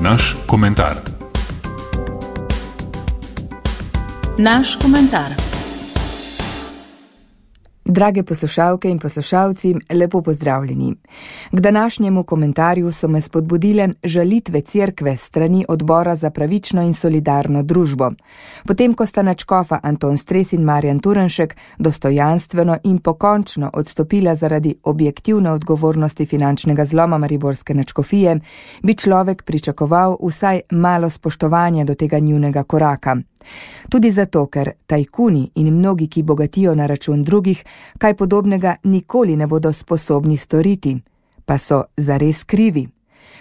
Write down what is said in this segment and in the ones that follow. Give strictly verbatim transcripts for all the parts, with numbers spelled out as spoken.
Naš komentar. Naš komentar. Drage poslušalke in poslušalci, lepo pozdravljeni. K današnjemu komentarju so me spodbudile žalitve cerkve strani Odbora za pravično in solidarno družbo. Potem, ko sta nadškofa Anton Stres in Marjan Turnšek dostojanstveno in pokončno odstopila zaradi objektivne odgovornosti finančnega zloma mariborske nadškofije, bi človek pričakoval vsaj malo spoštovanja do tega njunega koraka. Tudi zato, ker tajkuni in mnogi, ki bogatijo na račun drugih, kaj podobnega nikoli ne bodo sposobni storiti, pa so zares krivi.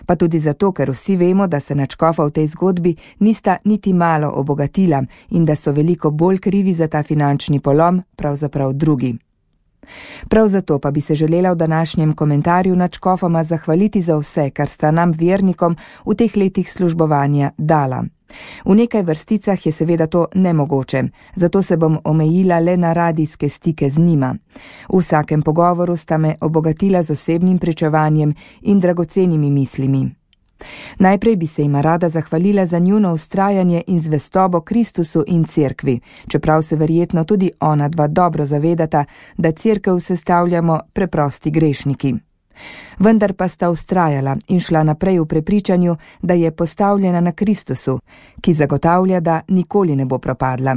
Pa tudi zato, ker vsi vemo, da se nadškofa v tej zgodbi nista niti malo obogatila in da so veliko bolj krivi za ta finančni polom pravzaprav drugi. Prav zato pa bi se želela v današnjem komentarju nadškofoma zahvaliti za vse, kar sta nam vernikom v teh letih službovanja dala. V nekaj vrsticah je seveda to nemogoče, zato se bom omejila le na radijske stike z njima. V vsakem pogovoru sta me obogatila z osebnim pričevanjem in dragocenimi mislimi. Najprej bi se jima rada zahvalila za njuno vztrajanje in zvestobo Kristusu in cerkvi, čeprav se verjetno tudi ona dva dobro zavedata, da cerkev sestavljamo preprosti grešniki. Vendar pa sta vztrajala in šla naprej v prepričanju, da je postavljena na Kristusu, ki zagotavlja, da nikoli ne bo propadla.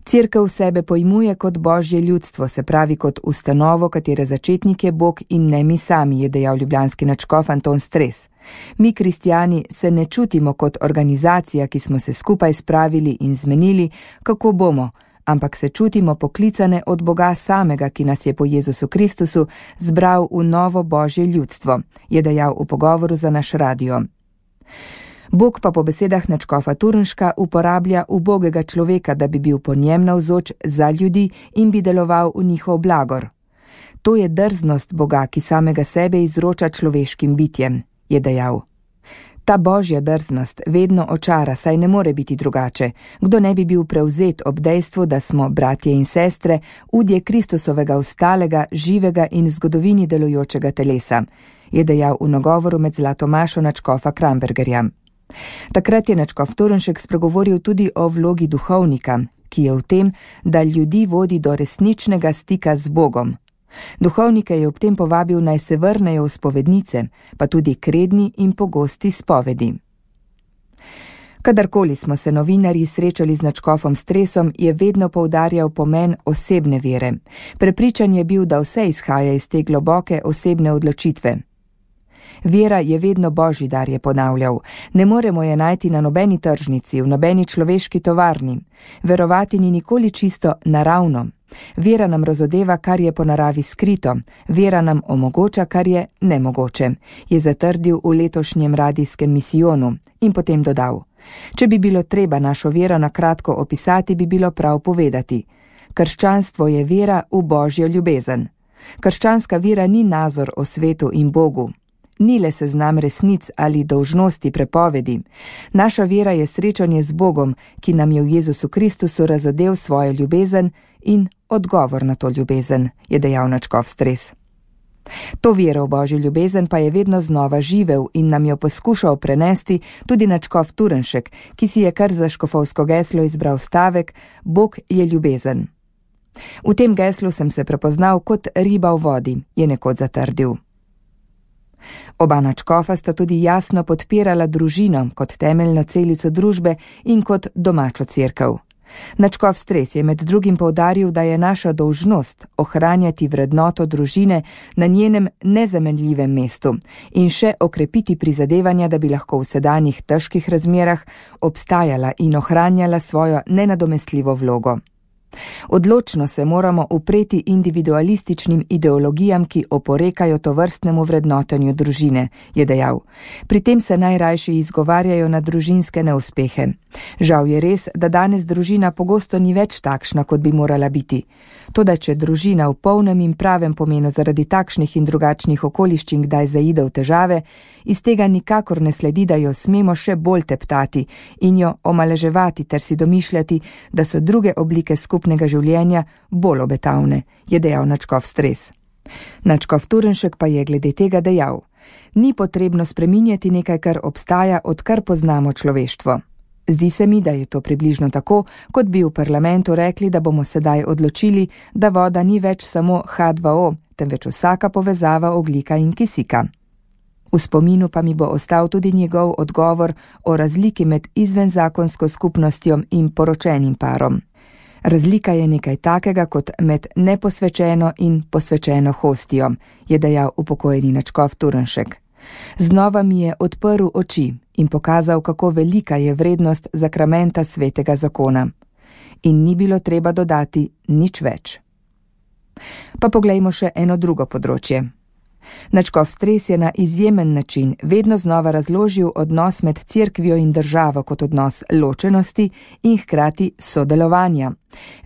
Cerkev sebe pojmuje kot Božje ljudstvo, se pravi kot ustanovo, katere začetnik je Bog in ne mi sami, je dejal ljubljanski nadškof Anton Stres. Mi, kristjani, se ne čutimo kot organizacija, ki smo se skupaj spravili in zmenili, kako bomo, ampak se čutimo poklicane od Boga samega, ki nas je po Jezusu Kristusu zbral v novo Božje ljudstvo, je dejal v pogovoru za naš radio. Bog pa po besedah nadškofa Turnška uporablja ubogega človeka, da bi bil po njem navzoč za ljudi in bi deloval v njihov blagor. To je drznost Boga, ki samega sebe izroča človeškim bitjem, je dejal. Ta Božja drznost vedno očara, saj ne more biti drugače. Kdo ne bi bil prevzet ob dejstvu, da smo bratje in sestre, udje Kristusovega ostalega, živega in v zgodovini delujočega telesa, je dejal v nagovoru med zlato mašo nadškofa Krambergerja. Takrat je nadškof Turnšek spregovoril tudi o vlogi duhovnika, ki je v tem, da ljudi vodi do resničnega stika z Bogom. Duhovnike je ob tem povabil, naj se vrnejo v spovednice, pa tudi k redni in pogosti spovedi. Kadarkoli smo se novinarji srečali z nadškofom Stresom, je vedno poudarjal pomen osebne vere. Prepričan je bil, da vse izhaja iz te globoke osebne odločitve. Vera je vedno Božji dar, je ponavljal. Ne moremo je najti na nobeni tržnici, v nobeni človeški tovarni. Verovati ni nikoli čisto naravno. Vera nam razodeva, kar je po naravi skrito. Vera nam omogoča, kar je nemogoče, je zatrdil v letošnjem radijskem misijonu in potem dodal. Če bi bilo treba našo vero na kratko opisati, bi bilo prav povedati. Krščanstvo je vera v Božjo ljubezen. Krščanska vera ni nazor o svetu in Bogu. Ni le seznam resnic ali dolžnosti prepovedi. Naša vera je srečanje z Bogom, ki nam je v Jezusu Kristusu razodel svojo ljubezen in odgovor na to ljubezen, je dejal nadškof Stres. To vero v Božjo ljubezen pa je vedno znova živel in nam jo poskušal prenesti tudi nadškof Turnšek, ki si je kar za škofovsko geslo izbral stavek Bog je ljubezen. V tem geslu sem se prepoznal kot riba v vodi, je nekoč zatrdil. Oba nadškofa sta tudi jasno podpirala družino kot temeljno celico družbe in kot domačo cerkev. Nadškof Stres je med drugim poudaril, da je naša dolžnost ohranjati vrednoto družine na njenem nezamenljivem mestu in še okrepiti prizadevanja, da bi lahko v sedanjih težkih razmerah obstajala in ohranjala svojo nenadomestljivo vlogo. Odločno se moramo upreti individualističnim ideologijam, ki oporekajo tovrstnemu vrednotenju družine, je dejal. Pri tem se najrajši izgovarjajo na družinske neuspehe. Žal je res, da danes družina pogosto ni več takšna, kot bi morala biti. Toda če družina v polnem in pravem pomenu zaradi takšnih in drugačnih okoliščin kdaj zaide v težave, iz tega nikakor ne sledi, da jo smemo še bolj teptati in jo omaleževati ter si domišljati, da so druge oblike skupnega življenja bolj obetavne, je dejal nadškof Stres. Nadškof Turnšek pa je glede tega dejal: Ni potrebno spreminjati nekaj, kar obstaja, odkar poznamo človeštvo. Zdi se mi, da je to približno tako, kot bi v parlamentu rekli, da bomo sedaj odločili, da voda ni več samo ha dva o, temveč vsaka povezava ogljika in kisika. V spominu pa mi bo ostal tudi njegov odgovor o razliki med izvenzakonsko skupnostjo in poročenim parom. Razlika je nekaj takega kot med neposvečeno in posvečeno hostijo, je dejal upokojeni nadškof Turnšek. Znova mi je odprl oči in pokazal, kako velika je vrednost zakramenta svetega zakona. In ni bilo treba dodati nič več. Pa poglejmo še eno drugo področje. Nadškof Stres je na izjemen način vedno znova razložil odnos med cerkvijo in državo kot odnos ločenosti in hkrati sodelovanja.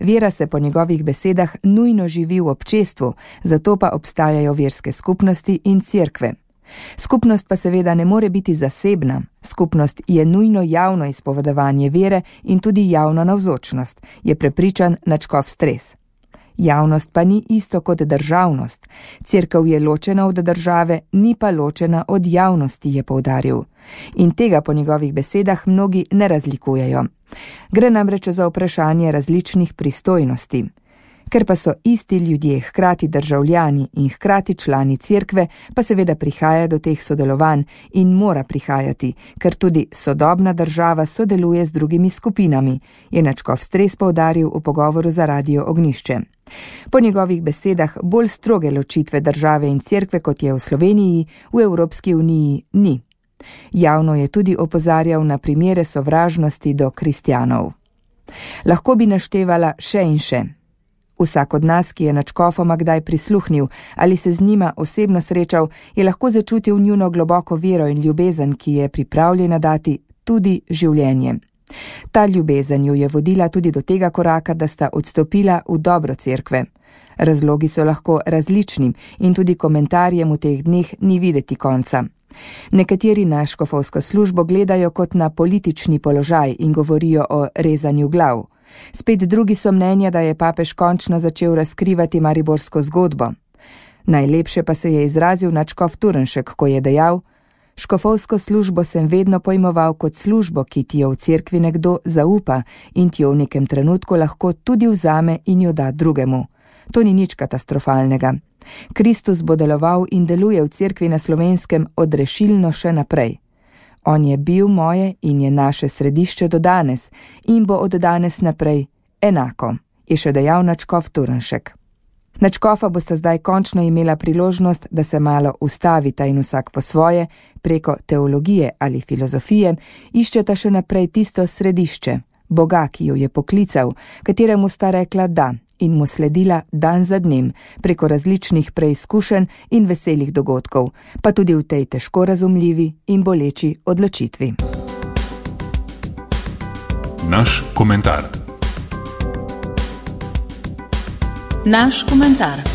Vera se po njegovih besedah nujno živi v občestvu, zato pa obstajajo verske skupnosti in cerkve. Skupnost pa seveda ne more biti zasebna. Skupnost je nujno javno izpovedovanje vere in tudi javna navzočnost, je prepričan nadškof Stres. Javnost pa ni isto kot državnost. Cerkev je ločena od države, ni pa ločena od javnosti, je poudaril. In tega po njegovih besedah mnogi ne razlikujejo. Gre namreč za vprašanje različnih pristojnosti. Ker pa so isti ljudje hkrati državljani in hkrati člani cerkve, pa seveda prihaja do teh sodelovanj in mora prihajati, ker tudi sodobna država sodeluje z drugimi skupinami, je nadškof Stres poudaril v pogovoru za Radio Ognjišče. Po njegovih besedah bolj stroge ločitve države in cerkve, kot je v Sloveniji, v Evropski uniji ni. Javno je tudi opozarjal na primere sovražnosti do kristjanov. Lahko bi naštevala še in še. Vsak od nas, ki je nadškofoma kdaj prisluhnil ali se z njima osebno srečal, je lahko začutil njuno globoko vero in ljubezen, ki je pripravljena dati tudi življenje. Ta ljubezen jo je vodila tudi do tega koraka, da sta odstopila v dobro cerkve. Razlogi so lahko različni in tudi komentarjem v teh dneh ni videti konca. Nekateri na škofovsko službo gledajo kot na politični položaj in govorijo o rezanju glav. Spet drugi so mnenja, da je papež končno začel razkrivati mariborsko zgodbo. Najlepše pa se je izrazil nadškof Turnšek, ko je dejal: škofovsko službo sem vedno pojmoval kot službo, ki ti jo v cerkvi nekdo zaupa in ti jo v nekem trenutku lahko tudi vzame in jo da drugemu. To ni nič katastrofalnega. Kristus bo deloval in deluje v cerkvi na Slovenskem odrešilno še naprej. On je bil moje in je naše središče do danes in bo od danes naprej enako, je še dejal nadškof Turnšek. Nadškofa bosta zdaj končno imela priložnost, da se malo ustavita in vsak po svoje, preko teologije ali filozofije, iščeta še naprej tisto središče, Boga, ki jo je poklical, kateremu sta rekla da in mu sledila dan za dnem preko različnih preizkušenj in veselih dogodkov, pa tudi v tej težko razumljivi in boleči odločitvi. Naš komentar. Naš komentar.